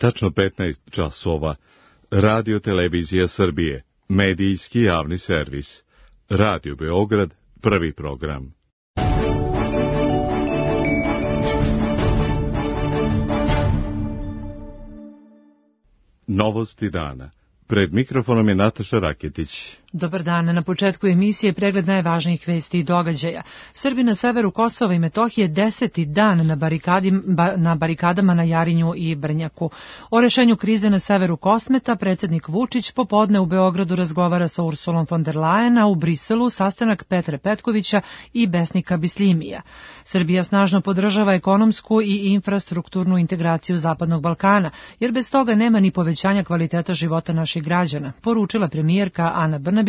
Tačno 15 časova. Radio Televizija Srbije. Medijski javni servis. Radio Beograd, prvi program. Novosti dana. Pred mikrofonom je Nataša Raketić. Dobar dan. Na početku emisije pregled najvažnijih vesti i događaja. Srbi na severu Kosova i Metohije 10. dan na barikadama na Jarinju i Brnjaku. O rešenju krize na severu Kosmeta predsjednik Vučić popodne u Beogradu razgovara sa Ursulom von der Leyen, a u Briselu sastanak Petre Petkovića i Besnika Bisljimija. Srbija snažno podržava ekonomsku i infrastrukturnu integraciju Zapadnog Balkana, jer bez toga nema ni povećanja kvaliteta života naših građana, poručila premijerka Ana Brnabić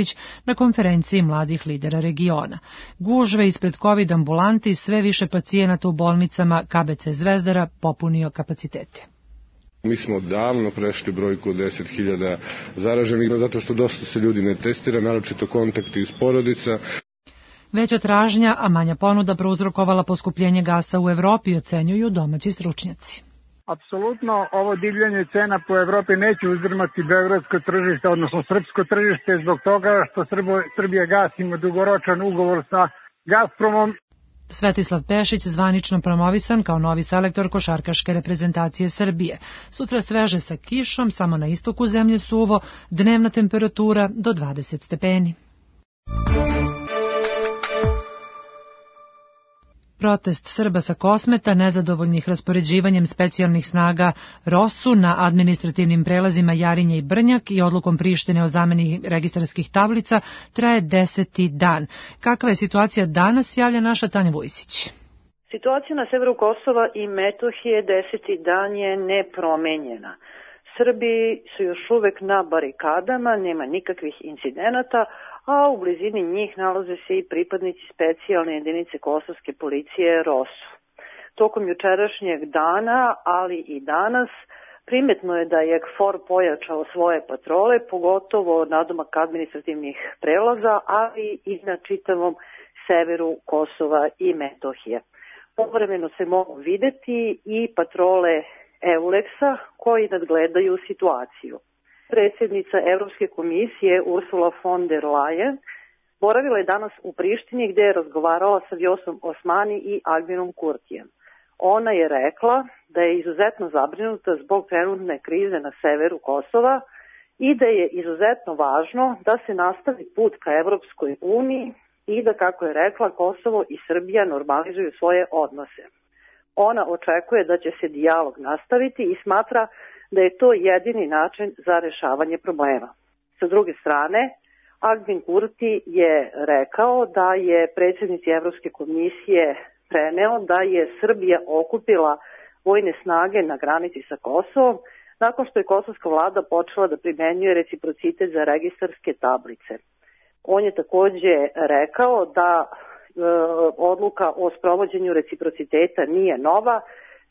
na konferenciji mladih lidera regiona. Gužve ispred COVID ambulanti, sve više pacijenata u bolnicama, KBC Zvezdara popunio kapacitete. Mi smo davno prešli brojku od 10.000 zaraženih, zato što dosta se ljudi ne testira, naročito kontakti iz porodica. Veća tražnja, a manja ponuda prouzrokovala poskupljenje gasa u Evropi, ocenjuju domaći stručnjaci. Apsolutno ovo divljanje cena po Evropi neće uzdrmati beogradsko tržište, odnosno srpsko tržište, zbog toga što Srbija gas ima dugoročan ugovor sa Gazpromom. Svetislav Pešić zvanično promovisan kao novi selektor košarkaške reprezentacije Srbije. Sutra sveže sa kišom, samo na istoku zemlje suvo, dnevna temperatura do 20 stepeni. Protest Srba sa Kosmeta, nezadovoljnih raspoređivanjem specijalnih snaga ROSU na administrativnim prelazima Jarinje i Brnjak i odlukom Prištine o zameni registarskih tablica, traje 10. dan. Kakva je situacija danas, javlja naša Tanja Vujsić. Situacija na severu Kosova i Metohije 10. dan je nepromenjena. Srbi su još uvek na barikadama, nema nikakvih incidenata, a u blizini njih nalaze se i pripadnici specijalne jedinice kosovske policije ROSU. Tokom jučerašnjeg dana, ali i danas, primetno je da je KFOR pojačao svoje patrole, pogotovo nadomak administrativnih prelaza, ali i na čitavom severu Kosova i Metohije. Povremeno se mogu videti i patrole EULEX-a koji nadgledaju situaciju. Predsjednica Evropske komisije Ursula von der Leyen boravila je danas u Prištini gdje je razgovarala sa Vjosom Osmani i Albinem Kurtijem. Ona je rekla da je izuzetno zabrinuta zbog trenutne krize na severu Kosova i da je izuzetno važno da se nastavi put ka Evropskoj uniji i da, kako je rekla, Kosovo i Srbija normalizuju svoje odnose. Ona očekuje da će se dijalog nastaviti i smatra da je to jedini način za rešavanje problema. Sa druge strane, Albin Kurti je rekao da je predsjednici Evropske komisije preneo da je Srbija okupila vojne snage na granici sa Kosovom nakon što je kosovska vlada počela da primenjuje reciprocitet za registarske tablice. On je također rekao da odluka o sprovođenju reciprociteta nije nova,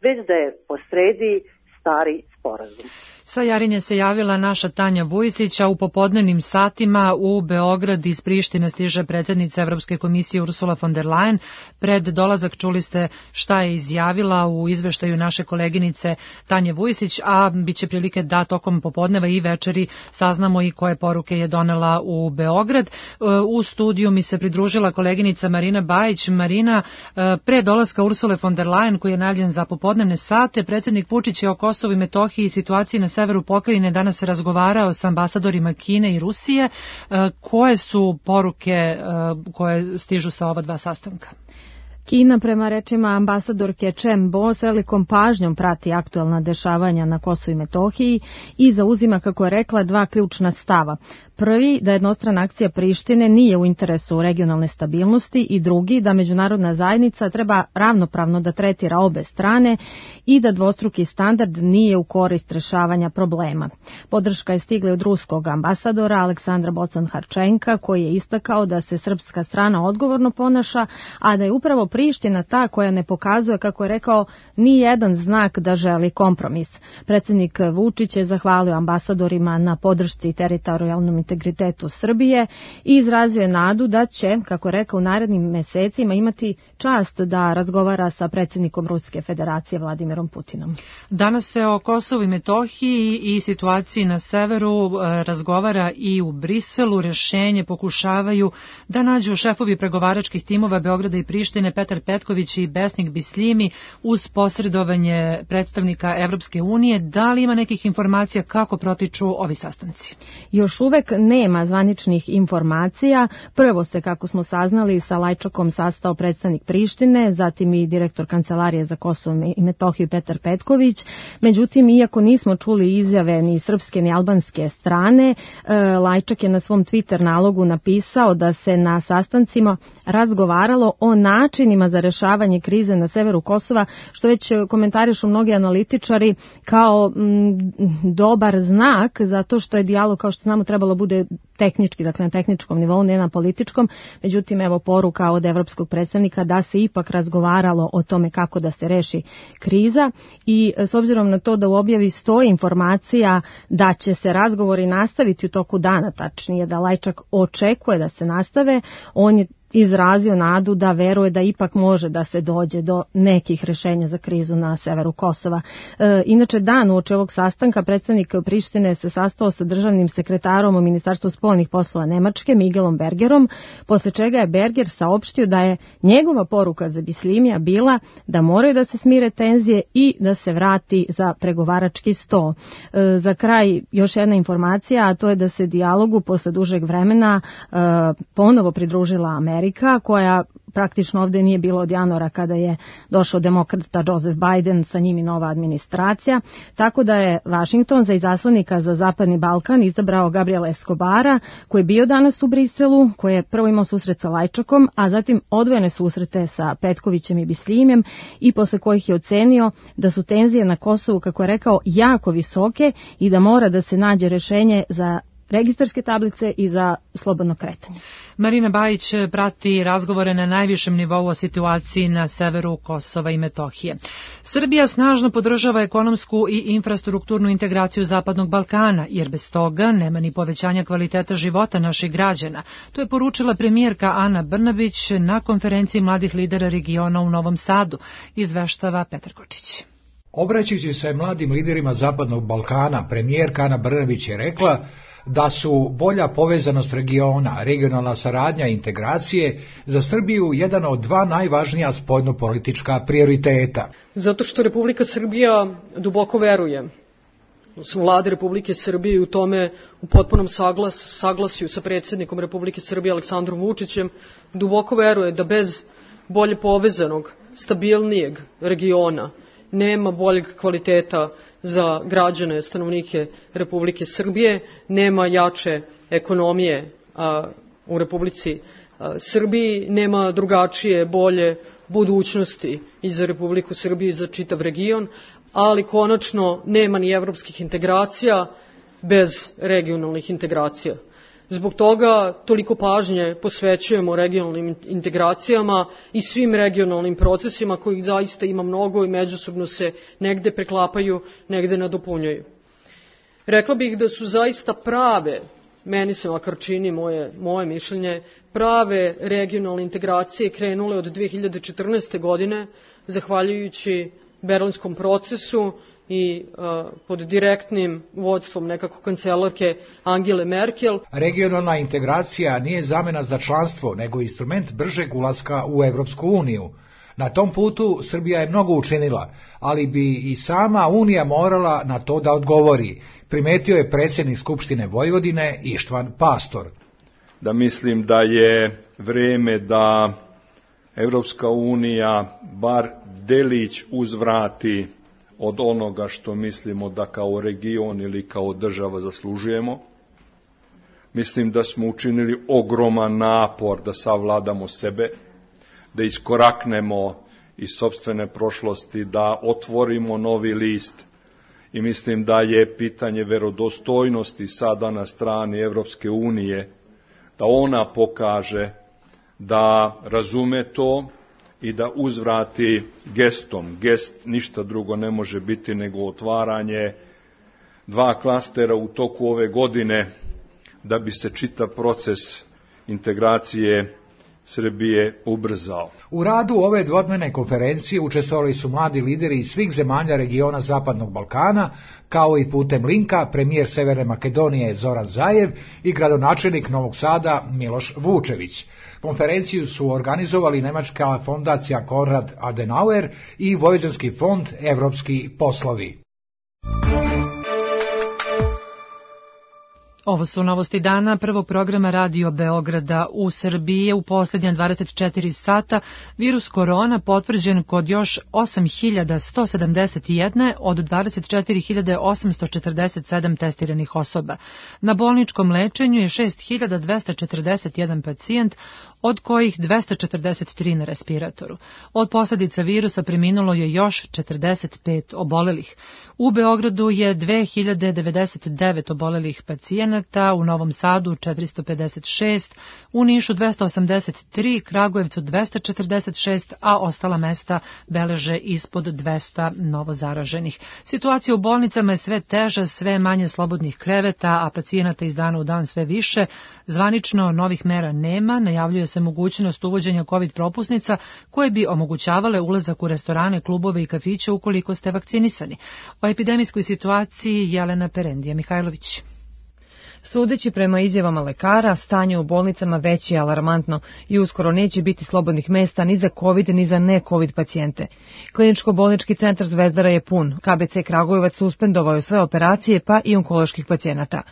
već da je posredi stari sporazum. Sa Jarinje se javila naša Tanja Vujsić, a u popodnevnim satima u Beograd iz Prištine stiže predsjednica Evropske komisije Ursula von der Leyen. Pred dolazak čuli ste šta je izjavila u izveštaju naše koleginice Tanje Vujsić, a bit će prilike da tokom popodneva i večeri saznamo i koje poruke je donela u Beograd. U studiju mi se pridružila koleginica Marina Bajić. Marina, pre dolaska Ursule von der Leyen, koji je najavljen za popodnevne sate, predsjednik Vučić je o Kosovu i Metohiji i situaciji na severu pokrajine danas razgovarao sa ambasadorima Kine i Rusije. Koje su poruke koje stižu sa ova dva sastanka? Kina, prema rečima ambasadorke Chen Bo, s velikom pažnjom prati aktualna dešavanja na Kosovu i Metohiji i zauzima, kako je rekla, dva ključna stava. Prvi, da jednostrana akcija Prištine nije u interesu regionalne stabilnosti, i drugi, da međunarodna zajednica treba ravnopravno da tretira obe strane i da dvostruki standard nije u korist rešavanja problema. Podrška je stigla od ruskog ambasadora Aleksandra Bocan-Harčenka, koji je istakao da se srpska strana odgovorno ponaša, a da je upravo Priština ta koja ne pokazuje, kako je rekao, ni jedan znak da želi kompromis. Predsjednik Vučić je zahvalio ambasadorima na podršci teritorijalnom integritetu Srbije i izrazio je nadu da će, kako je rekao, u narednim mesecima imati čast da razgovara sa predsjednikom Ruske federacije Vladimirom Putinom. Danas se o Kosovu i Metohiji i situaciji na severu razgovara i u Briselu. Rješenje pokušavaju da nađu šefovi pregovaračkih timova Beograda i Prištine Petar Petković i Besnik Bislimi uz posredovanje predstavnika Evropske unije. Da li ima nekih informacija kako protiču ovi sastanci? Još uvek nema zvaničnih informacija. Prvo se, kako smo saznali, sa Lajčakom sastao predstavnik Prištine, zatim i direktor Kancelarije za Kosovo i Metohiju Petar Petković. Međutim, iako nismo čuli izjave ni srpske ni albanske strane, Lajčak je na svom Twitter nalogu napisao da se na sastancima razgovaralo o načinima za rešavanje krize na severu Kosova, što već komentarišu mnogi analitičari kao dobar znak, zato što je dijalog, kao što znamo, trebalo bude tehnički, dakle na tehničkom nivou, ne na političkom. Međutim, evo poruka od evropskog predstavnika da se ipak razgovaralo o tome kako da se reši kriza i s obzirom na to da u objavi stoji informacija da će se razgovori nastaviti u toku dana, tačnije da Lajčak očekuje da se nastave, on je izrazio nadu da veruje da ipak može da se dođe do nekih rešenja za krizu na severu Kosova. Inače, dan uoči ovog sastanka predstavnik Prištine se sastao sa državnim sekretarom u Ministarstvu spoljnih poslova Nemačke, Migelom Bergerom, posle čega je Berger saopštio da je njegova poruka za Bislimija bila da moraju da se smire tenzije i da se vrati za pregovarački sto. Za kraj još jedna informacija, a to je da se dijalogu posle dužeg vremena ponovo pridružila Amerika, koja praktično ovde nije bilo od januara kada je došao demokrata Joseph Biden, sa njim i nova administracija, tako da je Vašington za izaslanika za Zapadni Balkan izabrao Gabriela Escobara, koji je bio danas u Briselu, koji je prvo imao susret sa Lajčakom, a zatim odvojene susrete sa Petkovićem i Bislimjem i posle kojih je ocenio da su tenzije na Kosovu, kako je rekao, jako visoke i da mora da se nađe rešenje za registarske tablice i za slobodno kretanje. Marina Bajić prati razgovore na najvišem nivou o situaciji na severu Kosova i Metohije. Srbija snažno podržava ekonomsku i infrastrukturnu integraciju Zapadnog Balkana, jer bez toga nema ni povećanja kvaliteta života naših građana. To je poručila premijerka Ana Brnabić na konferenciji mladih lidera regiona u Novom Sadu, izveštava Petar Kočić. Obraćajući se mladim liderima Zapadnog Balkana, premijerka Ana Brnabić je rekla da su bolja povezanost regiona, regionalna saradnja i integracije za Srbiju jedan od dva najvažnija spoljnopolitička prioriteta. Zato što Republika Srbija duboko veruje, Vlada Republike Srbije u tome u potpunom saglasju sa predsjednikom Republike Srbije Aleksandrom Vučićem, duboko veruje da bez bolje povezanog, stabilnijeg regiona nema boljeg kvaliteta za građane, stanovnike Republike Srbije, nema jače ekonomije u Republici Srbiji, nema drugačije, bolje budućnosti i za Republiku Srbiju i za čitav region, ali konačno nema ni evropskih integracija bez regionalnih integracija. Zbog toga toliko pažnje posvećujemo regionalnim integracijama i svim regionalnim procesima kojih zaista ima mnogo i međusobno se negde preklapaju, negde nadopunjuju. Rekla bih da su zaista prave, meni se makar čini moje mišljenje, prave regionalne integracije krenule od 2014. godine, zahvaljujući Berlinskom procesu i pod direktnim vodstvom nekako kancelarke Angele Merkel. Regionalna integracija nije zamena za članstvo, nego instrument bržeg ulaska u Evropsku uniju. Na tom putu Srbija je mnogo učinila, ali bi i sama Unija morala na to da odgovori, primetio je predsjednik Skupštine Vojvodine Ištvan Pastor. Da mislim da je vreme da Evropska unija bar delić uzvrati od onoga što mislimo da kao region ili kao država zaslužujemo. Mislim da smo učinili ogroman napor da savladamo sebe, da iskoraknemo iz sopstvene prošlosti, da otvorimo novi list i mislim da je pitanje verodostojnosti sada na strani Evropske unije, da ona pokaže da razume to i da uzvrati gestom. Gest ništa drugo ne može biti nego otvaranje 2 klastera u toku ove godine da bi se čitav proces integracije Srbije ubrzao. U radu ove dvodnevne konferencije učestvovali su mladi lideri iz svih zemalja regiona Zapadnog Balkana, kao i putem linka premijer Severne Makedonije Zoran Zajev i gradonačelnik Novog Sada Miloš Vučević. Konferenciju su organizovali Nemačka fondacija Konrad Adenauer i Vojvođanski fond Evropski poslovi. Ovo su novosti dana prvog programa Radio Beograda. U Srbiji je u posljednja 24 sata virus korona potvrđen kod još 8.171 od 24.847 testiranih osoba. Na bolničkom lečenju je 6.241 pacijent, od kojih 243 na respiratoru. Od posljedica virusa preminulo je još 45 obolelih. U Beogradu je 2099 obolelih pacijenata, u Novom Sadu 456, u Nišu 283, Kragujevcu 246, a ostala mesta beleže ispod 200 novozaraženih. Situacija u bolnicama je sve teža, sve manje slobodnih kreveta, a pacijenata iz dana u dan sve više. Zvanično novih mera nema, najavljuje se mogućnost uvođenja COVID propusnica koje bi omogućavale ulazak u restorane, klubove i kafiće ukoliko ste vakcinisani. O epidemijskoj situaciji Jelena Perendija Mihajlović. Sudeći prema izjavama lekara, stanje u bolnicama već je alarmantno i uskoro neće biti slobodnih mesta ni za COVID ni za ne-COVID pacijente. Kliničko-bolnički centar Zvezdara je pun. KBC Kragujevac suspendovao je sve operacije pa i onkoloških pacijenata.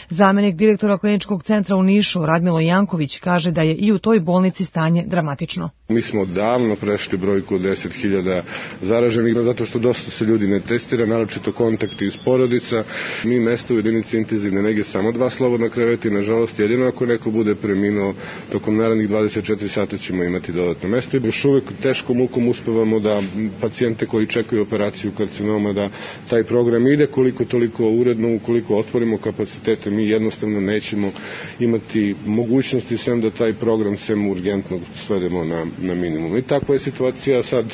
Zamenik direktora kliničkog centra u Nišu, Radmilo Janković, kaže da je i u toj bolnici stanje dramatično. Mi smo davno prešli brojku od 10.000 zaraženih, zato što dosta se ljudi ne testira, naročito kontakti iz porodica. Mi mesta u jedinici intenzivne nege samo 2 slobodna kreveta i nažalost jedino ako neko bude preminuo tokom narednih 24 sata ćemo imati dodatno mesto. Još uvek teškom mukom uspevamo da pacijente koji čekaju operaciju karcinoma da taj program ide koliko toliko uredno, ukoliko otvorimo kapacitete mi jednostavno nećemo imati mogućnosti sem da taj program sem urgentnog svedemo na minimum. I takva je situacija sad,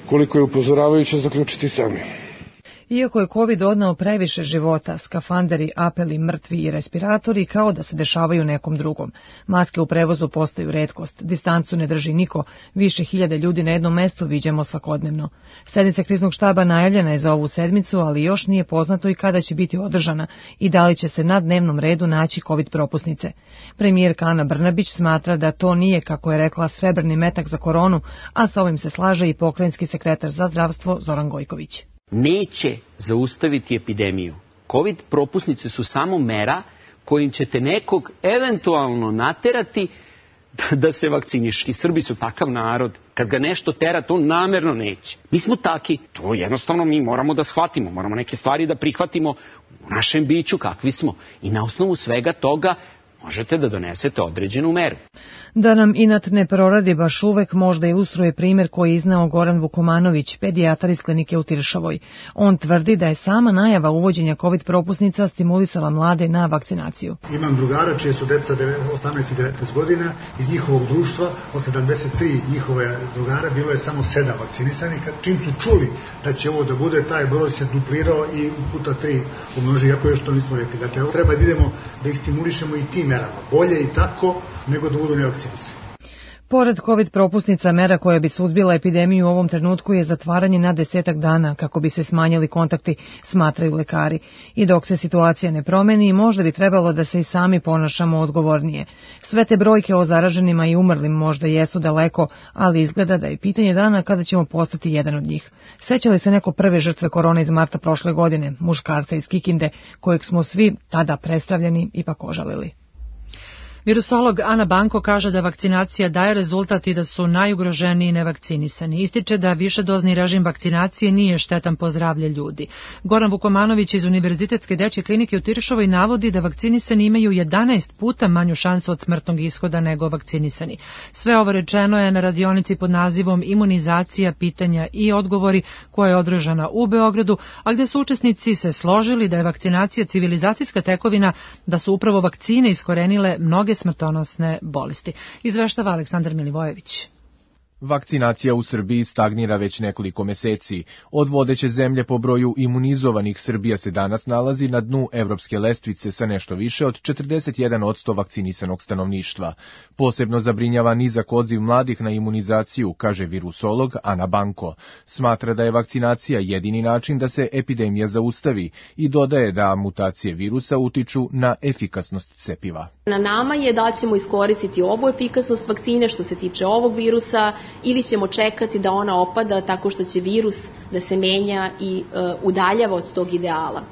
koliko je upozoravajuća zaključiti sami. Iako je COVID odneo previše života, skafanderi, apeli, mrtvi i respiratori kao da se dešavaju nekom drugom. Maske u prevozu postaju retkost, distancu ne drži niko, više hiljade ljudi na jednom mestu viđamo svakodnevno. Sednica kriznog štaba najavljena je za ovu sedmicu, ali još nije poznato i kada će biti održana i da li će se na dnevnom redu naći COVID propusnice. Premijerka Ana Brnabić smatra da to nije, kako je rekla, srebrni metak za koronu, a sa ovim se slaže i pokrajinski sekretar za zdravstvo Zoran Gojković. Neće zaustaviti epidemiju. COVID propusnice su samo mera kojim ćete nekog eventualno naterati da se vakciniše. I Srbi su takav narod. Kad ga nešto tera, to namerno neće. Mi smo taki. To jednostavno mi moramo da shvatimo. Moramo neke stvari da prihvatimo u našem biću kakvi smo. I na osnovu svega toga možete da donesete određenu meru. Da nam inat ne proradi baš uvek, možda ilustruje primjer koji je izneo Goran Vukomanović, pedijatar iz klinike u Tiršovoj. On tvrdi da je sama najava uvođenja COVID propusnica stimulisala mlade na vakcinaciju. Imam drugara čije su deca 18 i 19 godina, iz njihovog društva od 73 njihove drugara bilo je samo 7 vakcinisanih. Čim su čuli da će ovo da bude, taj broj se duplirao i puta 3 umnoži, iako još to nismo rekli. Dakle, treba da idemo da ih stimulišemo i tim merama. Bolje i tako nego da budu nevakcinisani. Pored COVID propusnica, mera koja bi suzbila epidemiju u ovom trenutku je zatvaranje na 10 dana kako bi se smanjili kontakti, smatraju lekari. I dok se situacija ne promeni, možda bi trebalo da se i sami ponašamo odgovornije. Sve te brojke o zaraženima i umrlim možda jesu daleko, ali izgleda da je pitanje dana kada ćemo postati jedan od njih. Seća li se neko prve žrtve korone iz marta prošle godine, muškarca iz Kikinde, kojeg smo svi tada predstavljeni ipak ožalili? Virusolog Ana Banko kaže da vakcinacija daje rezultat i da su najugroženiji nevakcinisani. Ističe da višedozni režim vakcinacije nije štetan po zdravlje ljudi. Goran Vukomanović iz Univerzitetske dečje klinike u Tiršovoj navodi da vakcinisani imaju 11 puta manju šansu od smrtnog ishoda nego vakcinisani. Sve ovo rečeno je na radionici pod nazivom Imunizacija, pitanja i odgovori koja je održana u Beogradu, a gde su učesnici se složili da je vakcinacija civilizacijska tekovina, da su upravo vakcine iskorenile mnoge smrtonosne bolesti. Izveštava Aleksandar Milivojević. Vakcinacija u Srbiji stagnira već nekoliko meseci. Od vodeće zemlje po broju imunizovanih Srbija se danas nalazi na dnu evropske lestvice sa nešto više od 41% vakcinisanog stanovništva. Posebno zabrinjava nizak odziv mladih na imunizaciju, kaže virusolog Ana Banko. Smatra da je vakcinacija jedini način da se epidemija zaustavi i dodaje da mutacije virusa utiču na efikasnost cepiva. Na nama je da ćemo iskoristiti ovu efikasnost vakcine što se tiče ovog virusa ili ćemo čekati da ona opada tako što će virus da se menja i udaljava od tog ideala.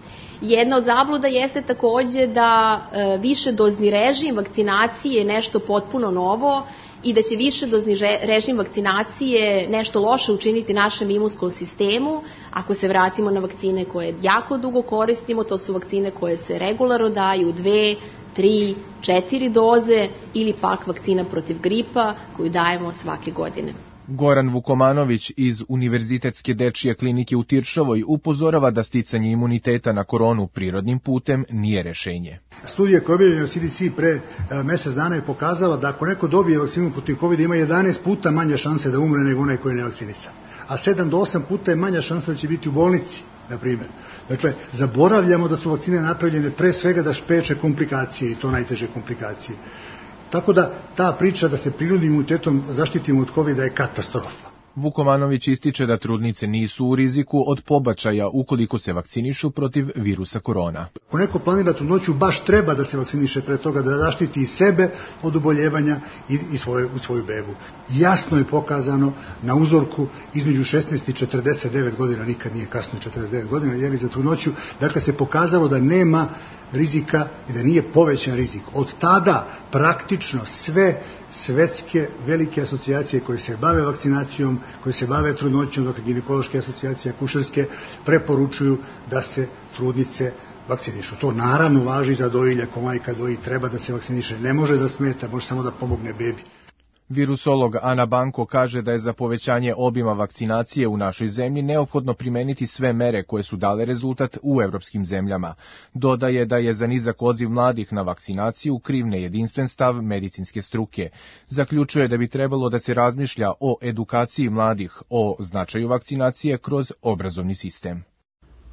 Jedna od zabluda jeste takođe da višedozni režim vakcinacije je nešto potpuno novo i da će višedozni režim vakcinacije nešto loše učiniti našem imunskom sistemu. Ako se vratimo na vakcine koje jako dugo koristimo, to su vakcine koje se regularno daju 2, 3, 4 doze ili pak vakcina protiv gripa koju dajemo svake godine. Goran Vukomanović iz Univerzitetske dečije klinike u Tiršovoj upozorava da sticanje imuniteta na koronu prirodnim putem nije rešenje. Studija koja je objavljena u CDC pre mesec dana je pokazala da ako neko dobije vakcinu protiv COVID ima 11 puta manje šanse da umre nego onaj koji je nevakcinisan. A 7 do 8 puta je manja šansa da će biti u bolnici, na primjer. Dakle, zaboravljamo da su vakcine napravljene pre svega da spreče komplikacije i to najteže komplikacije. Tako da ta priča da se prirodnim imunitetom zaštitimo od COVID-a je katastrofa. Vukomanović ističe da trudnice nisu u riziku od pobačaja ukoliko se vakcinišu protiv virusa korona. Ako neko planira trudnoću, baš treba da se vakciniše pre toga, da zaštiti i sebe od oboljevanja i svoju bebu. Jasno je pokazano na uzorku između 16 i 49 godina, nikad nije kasno 49 godina, jeli za trudnoću, dakle se pokazalo da nema rizika i da nije povećan rizik. Od tada praktično sve svetske velike asocijacije koje se bave vakcinacijom, koje se bave trudnoćom, dakle ginekološke asocijacije, akušerske, preporučuju da se trudnice vakcinišu. To naravno važi za dojilje, ako majka doji treba da se vakciniše, ne može da smeta, može samo da pomogne bebi. Virusolog Ana Banko kaže da je za povećanje obima vakcinacije u našoj zemlji neophodno primeniti sve mere koje su dale rezultat u evropskim zemljama. Dodaje da je za nizak odziv mladih na vakcinaciju kriv nejedinstven stav medicinske struke. Zaključuje da bi trebalo da se razmišlja o edukaciji mladih, o značaju vakcinacije kroz obrazovni sistem.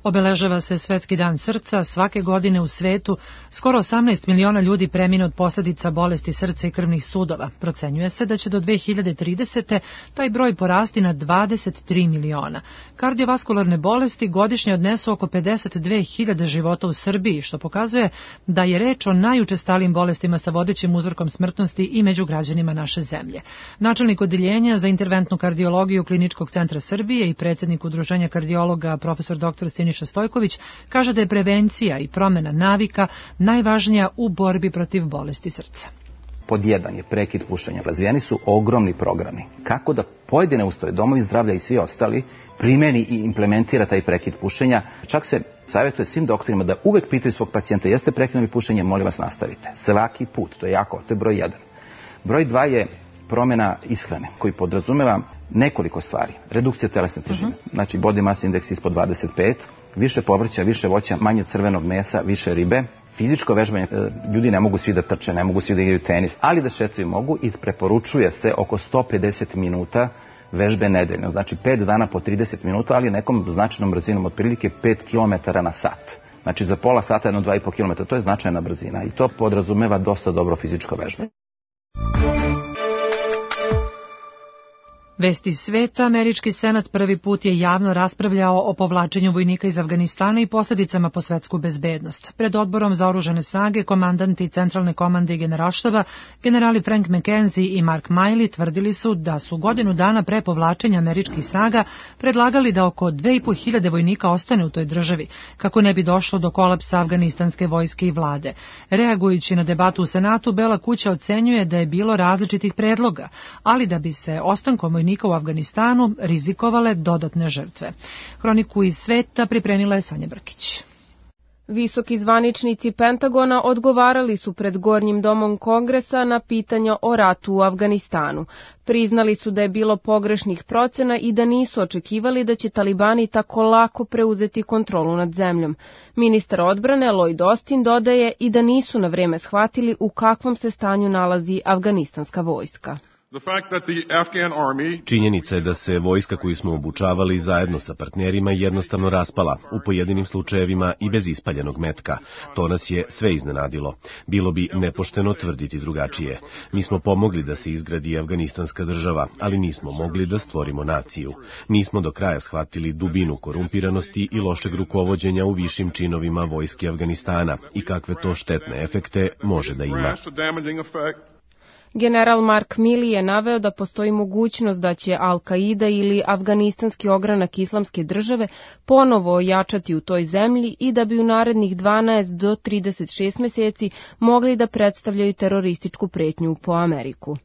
Obeležava se Svetski dan srca. Svake godine u svetu skoro 18 miliona ljudi premine od posljedica bolesti srca i krvnih sudova. Procenjuje se da će do 2030. taj broj porasti na 23 miliona. Kardiovaskularne bolesti godišnje odnesu oko 52.000 života u Srbiji, što pokazuje da je reč o najučestalijim bolestima sa vodećim uzrokom smrtnosti i među građanima naše zemlje. Načelnik odeljenja za interventnu kardiologiju Kliničkog centra Srbije i predsjednik Udruženja kardiologa profesor dr. Siniša Stojković kaže da je prevencija i promjena navika najvažnija u borbi protiv bolesti srca. Pod 1 je prekid pušenja. Razvijeni su ogromni programi. Kako da pojedine ustanove, domovi zdravlja i svi ostali primeni i implementira taj prekid pušenja. Čak se savjetuje svim doktorima da uvek pitaju svog pacijenta jeste prekinuli pušenje, molim vas nastavite. Svaki put, to je jako, to je broj 1. Broj 2 je promjena ishrane koji podrazumeva nekoliko stvari. Redukcija telesne težine, znači body mass index ispod 25, više povrća, više voća, manje crvenog mesa, više ribe. Fizičko vežbanje, ljudi ne mogu svi da trče, ne mogu svi da igraju tenis, ali da šetaju mogu i preporučuje se oko 150 minuta vežbe nedeljno. Znači 5 dana po 30 minuta, ali nekom značajnom brzinom, otprilike 5 km na sat. Znači za pola sata 2,5 km, to je značajna brzina i to podrazumeva dosta dobro fizičko vežbanje. Vesti sveta, američki senat prvi put je javno raspravljao o povlačenju vojnika iz Afganistana i posljedicama po svetsku bezbednost. Pred odborom za oružane snage, komandanti Centralne komande i generalštaba, generali Frank McKenzie i Mark Miley tvrdili su da su godinu dana pre povlačenja američkih snaga predlagali da oko 2.500 vojnika ostane u toj državi, kako ne bi došlo do kolapsa afganistanske vojske i vlade. Reagujući na debatu u Senatu, Bela kuća ocenjuje da je bilo različitih predloga, ali da bi se ostankom vojnika u Afganistanu rizikovale dodatne žrtve. Hroniku iz sveta pripremila je Sanja Brkić. Visoki zvaničnici Pentagona odgovarali su pred Gornjim domom Kongresa na pitanja o ratu u Afganistanu. Priznali su da je bilo pogrešnih procena i da nisu očekivali da će talibani tako lako preuzeti kontrolu nad zemljom. Ministar odbrane Lloyd Austin dodaje i da nisu na vreme shvatili u kakvom se stanju nalazi afganistanska vojska. Činjenica je da se vojska koju smo obučavali zajedno sa partnerima jednostavno raspala, u pojedinim slučajevima i bez ispaljenog metka. To nas je sve iznenadilo. Bilo bi nepošteno tvrditi drugačije. Mi smo pomogli da se izgradi afganistanska država, ali nismo mogli da stvorimo naciju. Nismo do kraja shvatili dubinu korumpiranosti i lošeg rukovođenja u višim činovima vojske Afganistana i kakve to štetne efekte može da ima. General Mark Milley je naveo da postoji mogućnost da će Al-Qaida ili afganistanski ogranak islamske države ponovo ojačati u toj zemlji i da bi u narednih 12 do 36 meseci mogli da predstavljaju terorističku pretnju po Ameriku.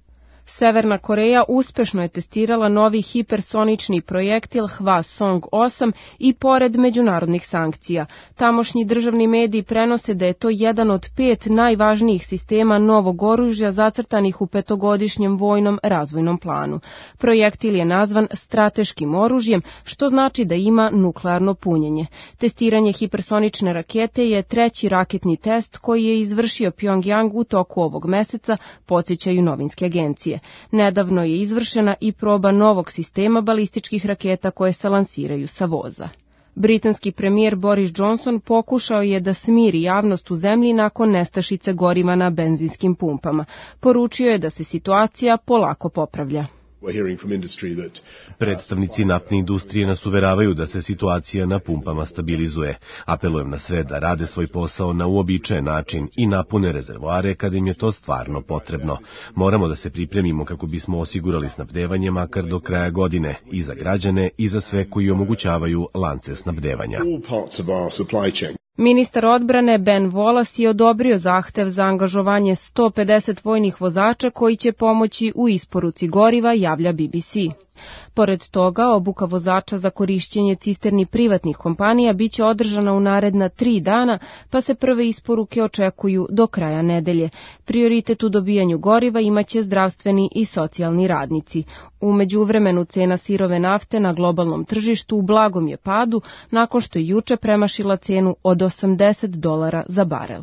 Severna Koreja uspešno je testirala novi hipersonični projektil Hwasong-8 i pored međunarodnih sankcija. Tamošnji državni mediji prenose da je to jedan od 5 najvažnijih sistema novog oružja zacrtanih u 5-godišnjem vojnom razvojnom planu. Projektil je nazvan strateškim oružjem, što znači da ima nuklearno punjenje. Testiranje hipersonične rakete je 3. raketni test koji je izvršio Pyongyang u toku ovog meseca, podsjećaju novinske agencije. Nedavno je izvršena i proba novog sistema balističkih raketa koje se lansiraju sa voza. Britanski premijer Boris Johnson pokušao je da smiri javnost u zemlji nakon nestašice goriva na benzinskim pumpama. Poručio je da se situacija polako popravlja. Predstavnici naftne industrije nas uveravaju da se situacija na pumpama stabilizuje. Apelujem na sve da rade svoj posao na uobičajen način i napune rezervoare kada im je to stvarno potrebno. Moramo da se pripremimo kako bismo osigurali snabdevanje makar do kraja godine i za građane i za sve koji omogućavaju lance snabdevanja. Ministar odbrane Ben Wallace je odobrio zahtev za angažovanje 150 vojnih vozača koji će pomoći u isporuci goriva, javlja BBC. Pored toga, obuka vozača za korišćenje cisterni privatnih kompanija biće održana u naredna 3 dana, pa se prve isporuke očekuju do kraja nedelje. Prioritet u dobijanju goriva imaće zdravstveni i socijalni radnici. U međuvremenu cena sirove nafte na globalnom tržištu u blagom je padu, nakon što je juče premašila cenu od $80 za barel.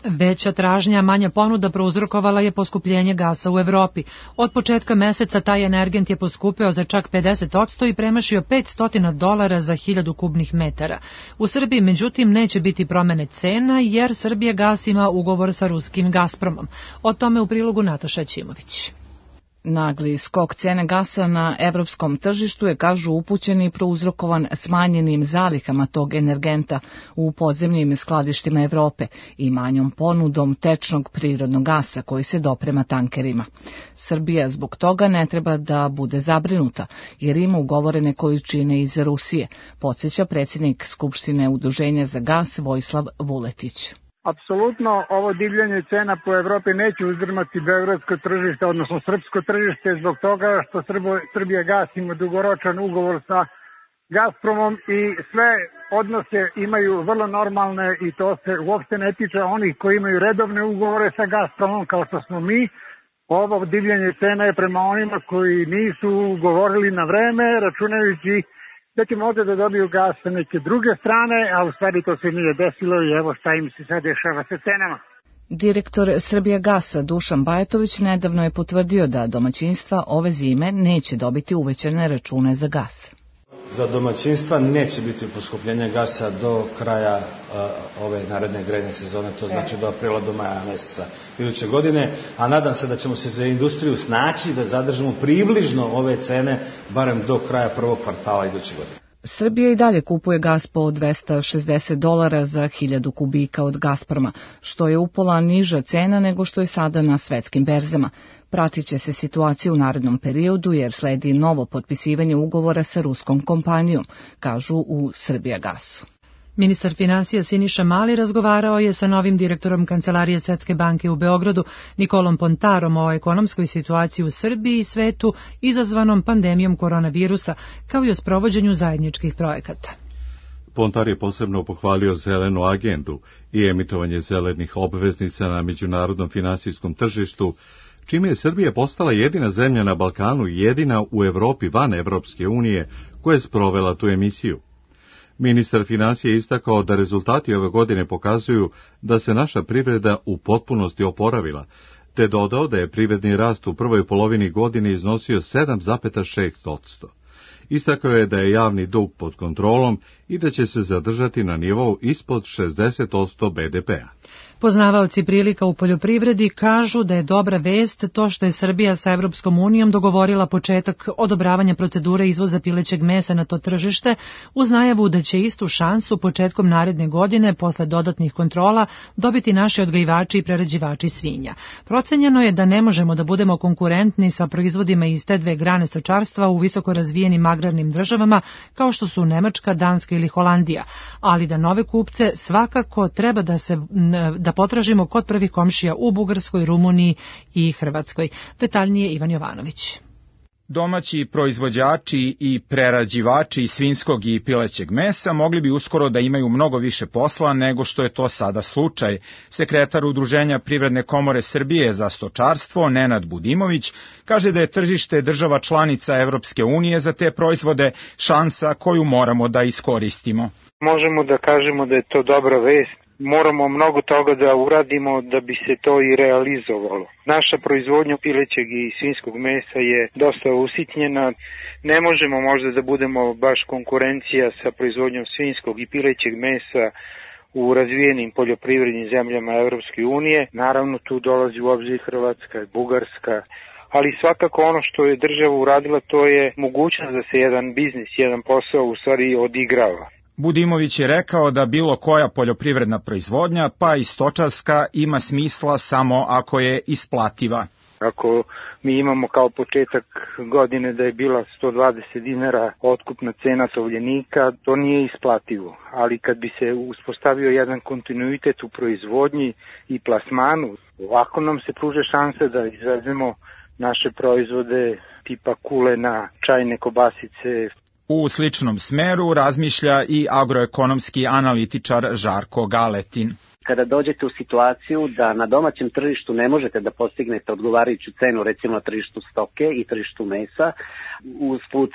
Veća tražnja, manja ponuda prouzrokovala je poskupljenje gasa u Evropi. Od početka meseca taj energent je poskupeo za čak 50% i premašio $500 za 1000 kubnih metara. U Srbiji, međutim, neće biti promene cena jer Srbijagas ima ugovor sa ruskim Gazpromom. O tome u prilogu Nataša Ćimović. Nagli skok cene gasa na evropskom tržištu je, kažu upućeni, prouzrokovan smanjenim zalihama tog energenta u podzemnim skladištima Evrope i manjom ponudom tečnog prirodnog gasa koji se doprema tankerima. Srbija zbog toga ne treba da bude zabrinuta jer ima ugovorene količine iz Rusije, podsjeća predsjednik Skupštine Udruženja za gas Vojislav Vuletić. Apsolutno ovo divljanje cena po Evropi neće uzdrmati beogradsko tržište, odnosno srpsko tržište, zbog toga što Srbijagas ima dugoročan ugovor sa Gazpromom i sve odnose imaju vrlo normalne i to se uopšte ne tiče onih koji imaju redovne ugovore sa Gazpromom kao što smo mi. Ovo divljanje cena je prema onima koji nisu ugovorili na vreme, računajući da će možda da dobiju gas sa neke druge strane, a u stvari to se nije desilo i evo šta im se sad dešava sa cenama. Direktor Srbijagasa Dušan Bajatović nedavno je potvrdio da domaćinstva ove zime neće dobiti uvećane račune za gas. Za domaćinstva neće biti poskupljenja gasa do kraja ove naredne grejne sezone, to znači do aprila, do maja meseca iduće godine, a nadam se da ćemo se za industriju snaći da zadržimo približno ove cene barem do kraja prvog kvartala iduće godine. Srbija i dalje kupuje gas po $260 za 1000 kubika od Gazproma, što je upola niža cena nego što je sada na svetskim berzama. Pratit će se situacija u narednom periodu jer sledi novo potpisivanje ugovora sa ruskom kompanijom, kažu u Srbijagasu. Ministar finansija Siniša Mali razgovarao je sa novim direktorom Kancelarije Svetske banke u Beogradu, Nikolom Pontarom, o ekonomskoj situaciji u Srbiji i svetu izazvanom pandemijom koronavirusa, kao i o sprovođenju zajedničkih projekata. Pontar je posebno pohvalio zelenu agendu i emitovanje zelenih obveznica na međunarodnom finansijskom tržištu, čime je Srbija postala jedina zemlja na Balkanu i jedina u Evropi van Evropske unije koja je sprovela tu emisiju. Ministar finansija je istakao da rezultati ove godine pokazuju da se naša privreda u potpunosti oporavila, te dodao da je privredni rast u prvoj polovini godine iznosio 7,6%. Istakao je da je javni dug pod kontrolom i da će se zadržati na nivou ispod 60% BDP-a. Poznavaoci prilika u poljoprivredi kažu da je dobra vest to što je Srbija sa Evropskom unijom dogovorila početak odobravanja procedure izvoza pilećeg mesa na to tržište, uz najavu da će istu šansu početkom naredne godine, posle dodatnih kontrola, dobiti naši odgajivači i prerađivači svinja. Procenjeno je da ne možemo da budemo konkurentni sa proizvodima iz te dve grane stočarstva u visoko razvijenim agrarnim državama kao što su Nemačka, Danska ili Holandija, ali da nove kupce svakako treba da potražimo kod prvih komšija u Bugarskoj, Rumuniji i Hrvatskoj. Detaljnije Ivan Jovanović. Domaći proizvođači i prerađivači svinjskog i pilećeg mesa mogli bi uskoro da imaju mnogo više posla nego što je to sada slučaj. Sekretar Udruženja Privredne komore Srbije za stočarstvo, Nenad Budimović, kaže da je tržište država članica Evropske unije za te proizvode šansa koju moramo da iskoristimo. Možemo da kažemo da je to dobra vest. Moramo mnogo toga da uradimo da bi se to i realizovalo. Naša proizvodnja pilećeg i svinjskog mesa je dosta usitnjena. Ne možemo možda da budemo baš konkurencija sa proizvodnjom svinjskog i pilećeg mesa u razvijenim poljoprivrednim zemljama Evropske unije. Naravno tu dolazi u obzir Hrvatska i Bugarska, ali svakako ono što je država uradila to je mogućnost da se jedan biznis, jedan posao u stvari odigrava. Budimović je rekao da bilo koja poljoprivredna proizvodnja, pa i stočarska, ima smisla samo ako je isplativa. Ako mi imamo kao početak godine da je bila 120 dinara otkupna cena tovljenika, to nije isplativo. Ali kad bi se uspostavio jedan kontinuitet u proizvodnji i plasmanu, ovako nam se pruža šansa da izvezemo naše proizvode tipa kulena, čajne kobasice. U sličnom smeru razmišlja i agroekonomski analitičar Žarko Galetin. Kada dođete u situaciju da na domaćem tržištu ne možete da postignete odgovarajuću cenu, recimo na tržištu stoke i tržištu mesa, usput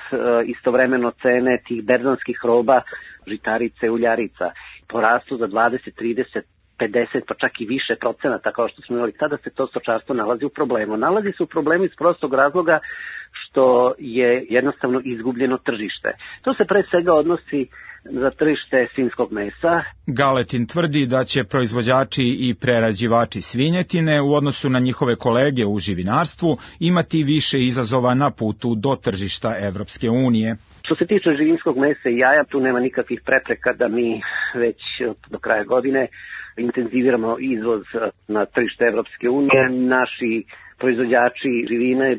istovremeno cene tih berzanskih roba, žitarice, uljarica, porastu za 20, 30, 50 pa čak i više procenata kao što smo imali, tada se to stočarstvo nalazi u problemu. Nalazi se u problemu iz prostog razloga što je jednostavno izgubljeno tržište. To se pre svega odnosi za tržište svinjskog mesa. Galetin tvrdi da će proizvođači i prerađivači svinjetine u odnosu na njihove kolege u živinarstvu imati više izazova na putu do tržišta Evropske unije. Što se tiče živinskog mesa i jaja, tu nema nikakvih prepreka da mi već do kraja godine intenziviramo izvoz na tržište Evropske unije. Naši proizvođači živine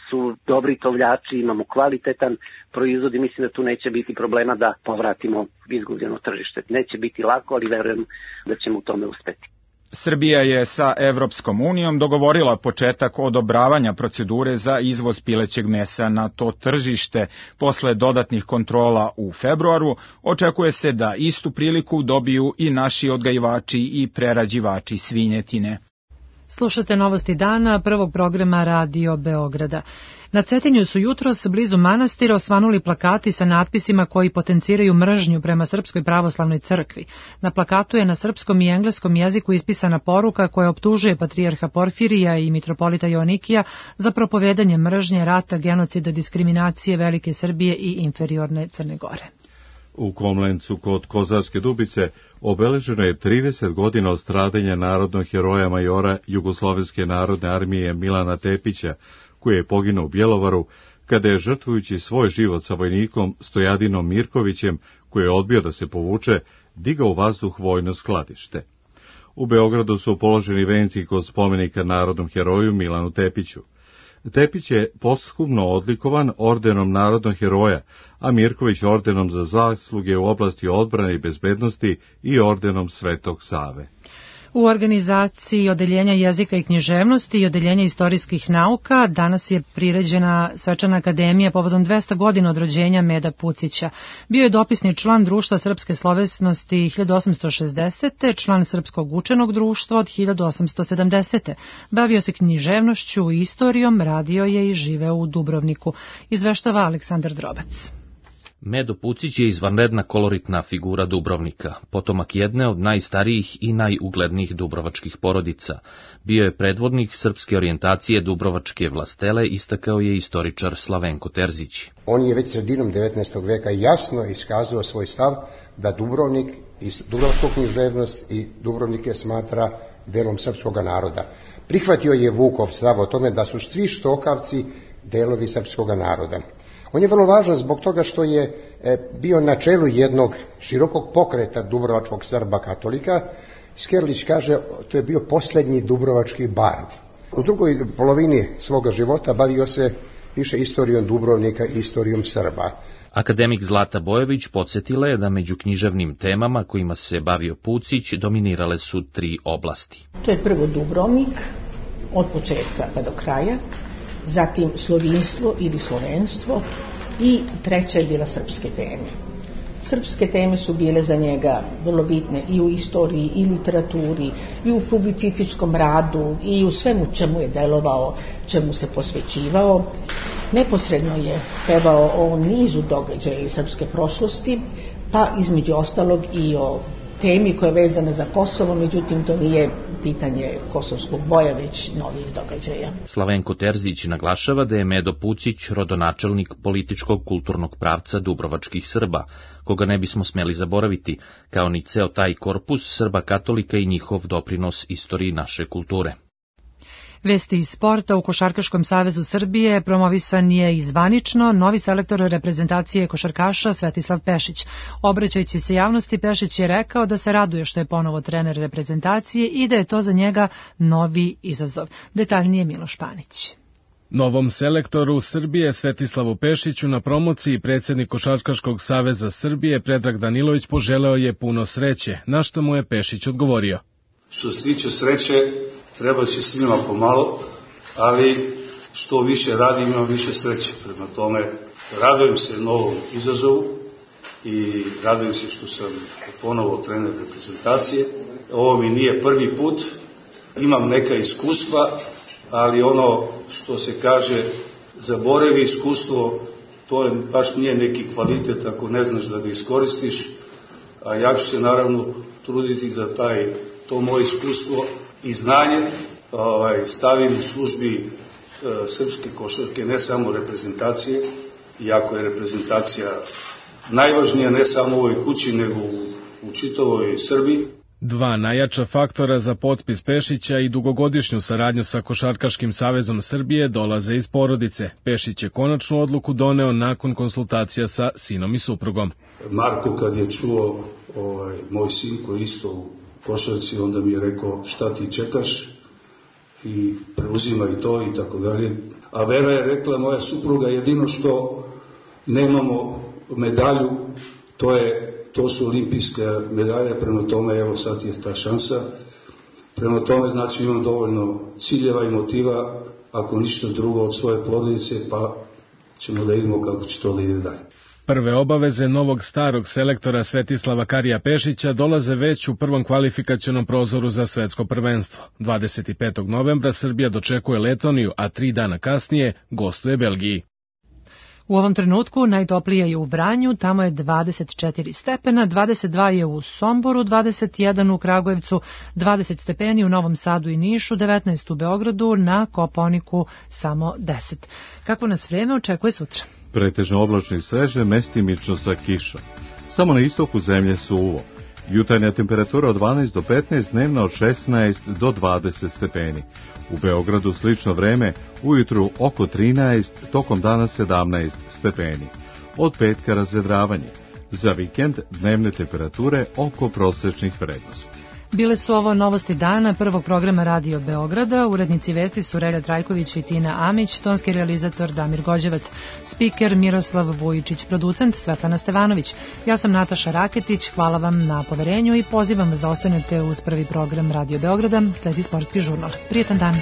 su dobri tovljači, imamo kvalitetan proizvod i mislim da tu neće biti problema da povratimo izgubljeno tržište. Neće biti lako, ali verujem da ćemo u tome uspeti. Srbija je sa Evropskom unijom dogovorila početak odobravanja procedure za izvoz pilećeg mesa na to tržište. Posle dodatnih kontrola u februaru očekuje se da istu priliku dobiju i naši odgajivači i prerađivači svinjetine. Slušate Novosti dana prvog programa Radio Beograda. Na Cetinju su jutros blizu manastira osvanuli plakati sa natpisima koji potenciraju mržnju prema Srpskoj pravoslavnoj crkvi. Na plakatu je na srpskom i engleskom jeziku ispisana poruka koja optužuje patrijarha Porfirija i mitropolita Joanikija za propovedanje mržnje, rata, genocida, diskriminacije Velike Srbije i inferiorne Crne Gore. U Komlencu kod Kozarske Dubice obeleženo je 30 godina od stradanja narodnog heroja majora Jugoslovenske narodne armije Milana Tepića, koji je poginuo u Bjelovaru kada je, žrtvujući svoj život sa vojnikom Stojadinom Mirkovićem, koji je odbio da se povuče, digao u vazduh vojno skladište. U Beogradu su položeni venci kod spomenika narodnom heroju Milanu Tepiću. Tepić je posthumno odlikovan ordenom narodnog heroja, a Mirković ordenom za zasluge u oblasti odbrane i bezbednosti i ordenom Svetog Save. U organizaciji Odeljenja jezika i književnosti i Odeljenja istorijskih nauka danas je priređena svečana akademija povodom 200 godina od rođenja Meda Pucića. Bio je dopisni član Društva srpske slovesnosti 1860. član Srpskog učenog društva od 1870. Bavio se književnošću i istorijom, radio je i živeo u Dubrovniku. Izveštava Aleksandar Drobac. Medo Pucić je izvanredna koloritna figura Dubrovnika, potomak jedne od najstarijih i najuglednijih dubrovačkih porodica. Bio je predvodnik srpske orijentacije dubrovačke vlastele, istakao je istoričar Slavenko Terzić. On je već sredinom 19. veka jasno iskazao svoj stav da Dubrovnik i dubrovačku književnost i Dubrovnike smatra delom srpskog naroda. Prihvatio je Vukov stav o tome da su svi Štokavci delovi srpskog naroda. On je vrlo važan zbog toga što je bio na čelu jednog širokog pokreta dubrovačkog Srba katolika. Skerlić kaže, to je bio posljednji dubrovački bard. U drugoj polovini svoga života bavio se više istorijom Dubrovnika i istorijom Srba. Akademik Zlata Bojović podsjetila je da među književnim temama kojima se bavio Pucić dominirale su 3 oblasti. To je prvo Dubrovnik, od početka pa do kraja, zatim slovinstvo ili slovenstvo i treća je bila srpske teme. Srpske teme su bile za njega vrlo bitne i u istoriji i literaturi i u publicističkom radu i u svemu čemu je delovao, čemu se posvećivao. Neposredno je pevao o nizu događaja iz srpske prošlosti, pa između ostalog i o temi koja je vezana za Kosovo, međutim to nije pitanje kosovskog boja, već novih događaja. Slavenko Terzić naglašava da je Medo Pucić rodonačelnik političkog kulturnog pravca dubrovačkih Srba, koga ne bismo smeli zaboraviti, kao ni ceo taj korpus Srba katolika i njihov doprinos istoriji naše kulture. Vesti iz sporta. U Košarkaškom savezu Srbije promovisan je i zvanično novi selektor reprezentacije košarkaša Svetislav Pešić. Obraćajući se javnosti, Pešić je rekao da se raduje što je ponovo trener reprezentacije i da je to za njega novi izazov. Detaljnije Miloš Panić. Novom selektoru Srbije Svetislavu Pešiću na promociji predsjednik Košarkaškog saveza Srbije Predrag Danilović poželeo je puno sreće, na što mu je Pešić odgovorio. Što se tiče sreće, treba će svima pomalo, ali što više radim, imam više sreće. Prema tome, radujem se novom izazovu i radujem se što sam ponovo trener reprezentacije. Ovo mi nije prvi put, imam neka iskustva, ali ono što se kaže, zaboravi iskustvo, to je, baš nije neki kvalitet ako ne znaš da ga iskoristiš, a ja ću se naravno truditi da to moje iskustvo i znanje stavim u službi srpske košarke, ne samo reprezentacije, iako je reprezentacija najvažnija ne samo u ovoj kući, nego u čitavoj Srbiji. 2 najjača faktora za potpis Pešića i dugogodišnju saradnju sa Košarkaškim savezom Srbije dolaze iz porodice. Pešić je konačnu odluku doneo nakon konsultacija sa sinom i suprugom. Marko kad je čuo moj sin koji isto u košarci, onda mi je rekao šta ti čekaš i preuzimaj to i tako dalje. A Vera je rekla, moja supruga, jedino što nemamo medalju, to su olimpijske medalje, prema tome evo sad je ta šansa. Prema tome znači imam dovoljno ciljeva i motiva, ako ništa drugo od svoje porodice, pa ćemo da vidimo kako će to da ide dalje. Prve obaveze novog starog selektora Svetislava Karija Pešića dolaze već u prvom kvalifikacionom prozoru za svetsko prvenstvo. 25. novembra Srbija dočekuje Letoniju, a 3 dana kasnije gostuje Belgiji. U ovom trenutku najtoplije je u Vranju, tamo je 24 stepena, 22 je u Somboru, 21 u Kragujevcu, 20 stepeni u Novom Sadu i Nišu, 19 u Beogradu, na Kopaoniku samo 10. Kako nas vreme očekuje sutra? Pretežno oblačno i sveže, mestimično sa kišom. Samo na istoku zemlje suvo. Jutarnja temperatura od 12 do 15, dnevna od 16 do 20 stepeni. U Beogradu slično vreme, ujutru oko 13, tokom dana 17 stepeni. Od petka razvedravanje. Za vikend dnevne temperature oko prosečnih vrednosti. Bile su ovo novosti dana prvog programa Radio Beograda. Urednici vesti su Relja Trajković i Tina Amić, tonski realizator Damir Gođevac, spiker Miroslav Vujičić, producent Svetlana Stevanović. Ja sam Nataša Raketić, hvala vam na poverenju i pozivam vas da ostanete uz prvi program Radio Beograda, sledi sportski žurnal. Prijetan dan.